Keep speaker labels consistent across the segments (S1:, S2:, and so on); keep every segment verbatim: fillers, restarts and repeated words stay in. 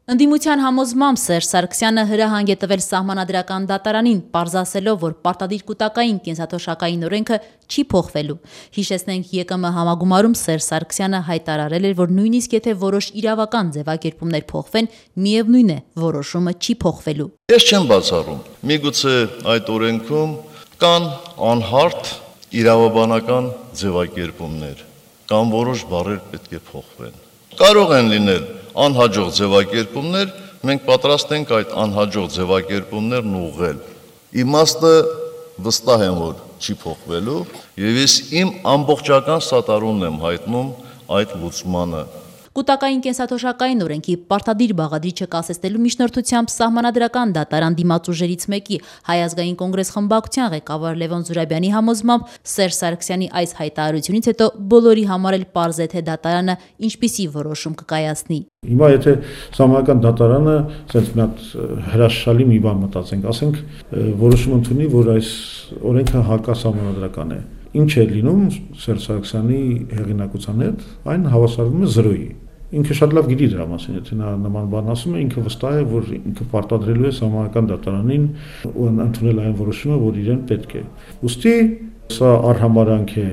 S1: Ընդդիմության համոզմամբ Սերժ Սարգսյանը հրահանգ է տվել սահմանադրական դատարանին, պարզասելով, որ պարտադիր կուտակային կենսաթոշակային օրենքը չի փոխվելու։ Հիշեցնենք, ԵԿՄ համագումարում Սերժ Սարգսյանը հայտարարել էր, որ նույնիսկ եթե որոշ իրավական ձևակերպումներ փոխվեն, միևնույն է, որոշումը չի փոխվելու։
S2: Ես չեմ բացառում, միգուցե այդ օրենքում կան անհարթ իրավաբանական ձևակերպումներ, կամ որոշ բառեր պետք է փոխվեն։ Կարող են լինել անհաջող ձևակերպումներ, մենք պատրաստ ենք այդ անհաջող ձևակերպումներն ուղղել։ Իմաստը վստահ եմ, որ չի փոխվելու, եւ ես իմ ամբողջական սատարումն եմ հայտնում այդ լուծմանը։
S1: Կուտակային կենսաթոշակային օրենքի պարտադիր բաղադրիչը կասեցնելու միջնորդությամբ սահմանադրական դատարան դիմաց մեկի Հայ ազգային կոնգրես խմբակցության ղեկավար Լևոն Զուրաբյանի համոզմամբ Սերժ Սարգսյանի այս հայտարարությունից հետո բոլորի համար էլ պարզ է, թե դատարանը ինչպիսի որոշում կկայացնի։
S3: Հիմա եթե սահմանադրական դատարանը ասենց մի հատ հրաշալի մի բան մտածենք, ասենք որոշում ընդունի, որ այս օրենքը հակասահմանադրական է։ Ինչ է լինում Սերժ Սարգսյանի հեղինակության հետ, այն հավասարվում է զրոյի։ Ինքը շատ լավ գիտի դրա մասին, եթե նա նման բան ասում է, ինքը վստահ է, որ ինքը պարտադրելու է սահմանադրական դատարանին ու ընդունել այն որոշումը, որ իրեն պետք է։ Ուստի սա արհամարանք է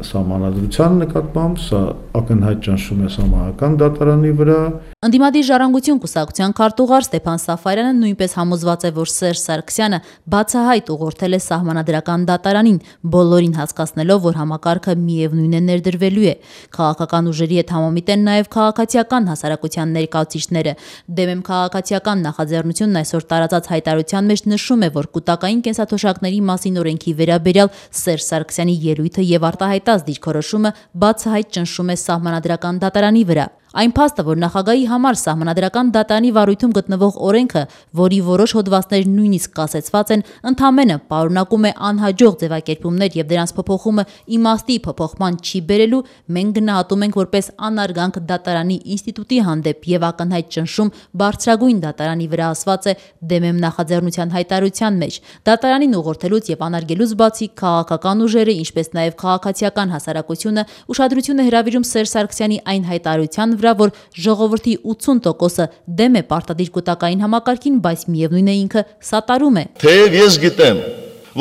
S3: սահմանադրության նկատմամբ, սա ակնհայտ ճնշում է սահմանադրական դատարանի վրա։
S1: Ընդդիմադիր ժառանգություն կուսակցության քարտուղար Ստեփան Սաֆարյանը նույնպես համոզված է, որ Սերժ Սարգսյանը բացահայտ ուղղորդել է սահմանադրական դատարանին, բոլորին հասկացնելով, որ համակարգը միևնույն է ներդրվելու է։ Քաղաքական ուժերի հետ համամիտ են նաև քաղաքացիական հասարակության ներկայացուցիչները։ Դեմեմ քաղաքացիական նախաձեռնությունն այսօր տարածած հայտարարության մեջ նշում է, որ կուտակային կենսաթոշակների մասին օրենքի վերաբերյալ Սերժ Սարգսյանի ելույթը եւ արտահայտած դիրքորոշումը բացահայտ ճնշում է սահմանադրական դատարանի վրա։ Այն փաստը, որ նախագահի համար սահմանադրական դատարանի վարույթում գտնվող օրենքը, որի որոշ հոդվածներ նույնիսկ կասեցված են, ընդամենը պարունակում է անհաջող ձևակերպումներ եւ դրանց փոփոխումը իմաստի փոփոխման չի բերելու, մենք գնահատում ենք որպես անարգանք դատարանի ինստիտուտի հանդեպ եւ ակնհայտ ճնշում բարձրագույն դատարանի վրա ասված է Դեմեմ նախաձեռնության հայտարարության մեջ։ Դատարանին ուղղորդելուց եւ անարգելուց բացի քաղաքական ուժերը, ինչպես նաեւ քաղաքացիական հասարակությունը ուշադրություն է հրավիրում Սերժ Սարգսյանի այն հայտարարության վրա, որ ժողովրդի ութսուն տոկոսը դեմ է պարտադիր կուտակային համակարգին, բայց միևնույն է ինքը սատարում է։
S2: Թեև ես գիտեմ,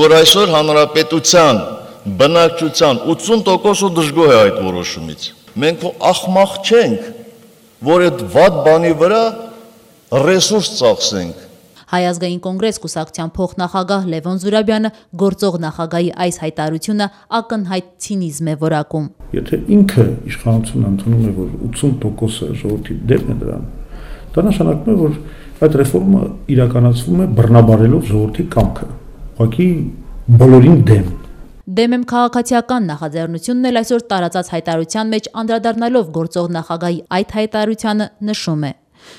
S2: որ այսօր հանրապետության բնակչության ութսուն տոկոսը դժգոհ է այդ որոշումից։ Մենք ախմախ չենք, որ այդ վատ բանի վրա ռեսուրս ծախսենք։
S1: Հայ ազգային կոնգրես կուսակցության փոխնախագահ Լևոն Զուրաբյանը գործող նախագահի այս հայտարարությունը ակնհայտ ցինիզմ է որակում։
S3: Եթե ինքը իշխանությունը ընդունում է, որ ութսուն տոկոսը ժողովրդի դեմ է դրան, դա նշանակում է, որ այդ ռեֆորմը իրականացվում է բռնաբարելով ժողովրդի կամքը, ուղղակի բոլորին դեմ։
S1: Դեմեմ քաղաքացիական նախաձեռնությունն էլ այսօր տարածած հայտարարության մեջ անդրադառնալով գործող նախագահի այդ հայտարարությանը նշում է.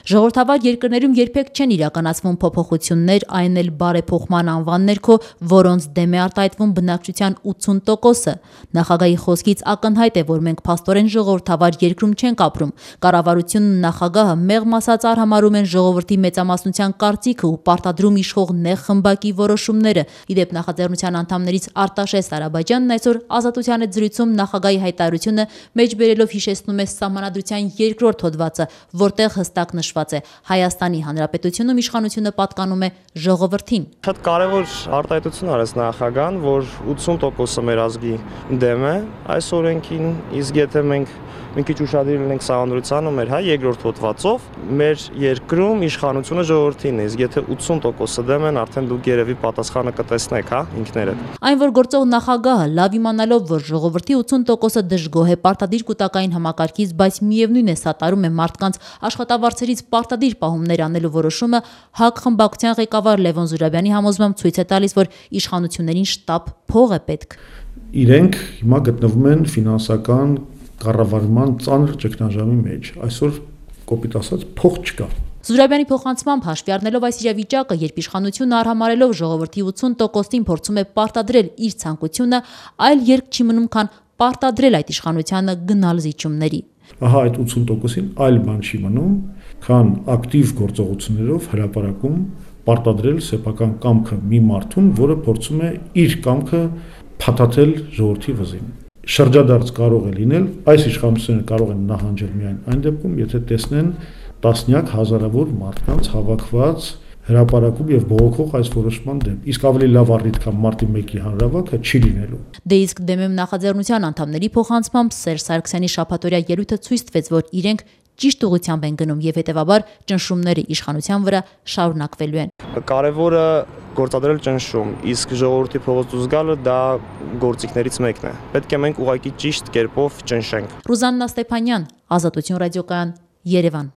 S1: Ժողովրդավար երկրներում երբեք չեն իրականացվում փոփոխություններ, այն էլ բարեփոխման անվան ներքո, որոնց դեմ է արտահայտվում բնակչության ութսուն տոկոսը։ Նախագահի խոսքից ակնհայտ է, որ մենք փաստորեն ժողովրդավար երկրում չենք ապրում։ Կառավարությունն ու նախագահը մեղմ ասած արհամարհում են ժողովրդի մեծամասնության կարծիքը ու պարտադրում իշխող նեղ խմբակի որոշումները։ Իդեպ նախաձեռնության անդամներից Արտաշես Ադրբեջանն այսօր Ազատության հետ զրույցում նախագահի հայտարարությունը մեջբերելով հիշեցնում է Սահմանադրության երկրորդ հոդվածը, որտեղ հստակ նշված է Հայաստանի Հանրապետությունում իշխանությունը պատկանում է ժողովրդին։
S4: Շատ կարևոր արտահայտություն արեց նախագահան, որ ութսուն տոկոսը մեր ազգի դեմ է այս օրենքին, իսկ եթե մենք մի քիչ ուշադիր լինենք Սահմանադրությանը մեր հայ երկրորդ հոդվածով, մեր երկրում իշխանությունը ժողովրդին է, իսկ եթե ութսուն տոկոսը դեմ են, արդեն դուք երևի պատասխանը կտեսնեք, հա, ինքներդ։
S1: Այն, որ գործող նախագահը լավ իմանալով, որ ժողովրդի ութսուն տոկոսը դժգոհ է պարտադիր կուտակային համակարգից, բայց միևնույն է սատարում է մարդկանց աշխատավարձերից պարտադիր պահումներ անելու որոշումը, ՀԱԿ խմբակցության ղեկավար Լևոն Զուրաբյանի համոզմամբ ցույց է տալիս, որ իշխանություններին շտապ փող է պետք։
S3: Իրենք հիմա գտնվում են ֆինանսական կառավարման ծանր ճգնաժամի մեջ։ Այսօր կոպիտ ասած փող չկա։
S1: Զուրաբյանի փոխանցմամբ հաշվի առնելով այս իրավիճակը, երբ իշխանությունը արհամարելով ժողովրդի ութսուն տոկոսին փորձում է պարտադրել իր ցանկությունը, այլ երկ չի մնում, քան պարտադրել այդ իշխանությանը գնալ զիջումների։
S3: Ահա այդ ութսուն տոկոսին այլ բան չի մնում, քան ակտիվ գործողություններով հրապարակում պարտադրել սեփական կամքը մի մարդուն, որը փորձում է իր կամքը փաթաթել ժողովրդի վզին։ Շրջադարձ կարող է լինել, այս իշխանությունները կարող են նահանջել միայն այն դեպքում, եթե տեսնեն տասնյակ հազարավոր մարդկանց հավաքված հրապարակում եւ բողոքող այս որոշման դեմ։ Իսկ ավելի լավ առիթ կամ մարտի մեկի հանրավաքը չի լինելու։
S1: Դե իսկ Դեմեմ նախաձեռնության անդամների փոխանցմամբ Սերժ Սարգսյանի շաբաթօրյա ելույթը ցույց տվեց, որ իրենք ճիշտ ուղղությամբ են գնում եւ հետեւաբար ճնշումները իշխանության վրա շարունակվելու են։
S4: Կարևորը գործադրել ճնշում, իսկ ժողովրդի փողոց դուրս գալը դա գործիքներից մեկն է։ Պետք է մենք ուղղակի ճիշտ կերպով ճնշենք։
S1: Ռուզաննա Ստեփանյան, Ազատություն ռադիոկայան, Երևան։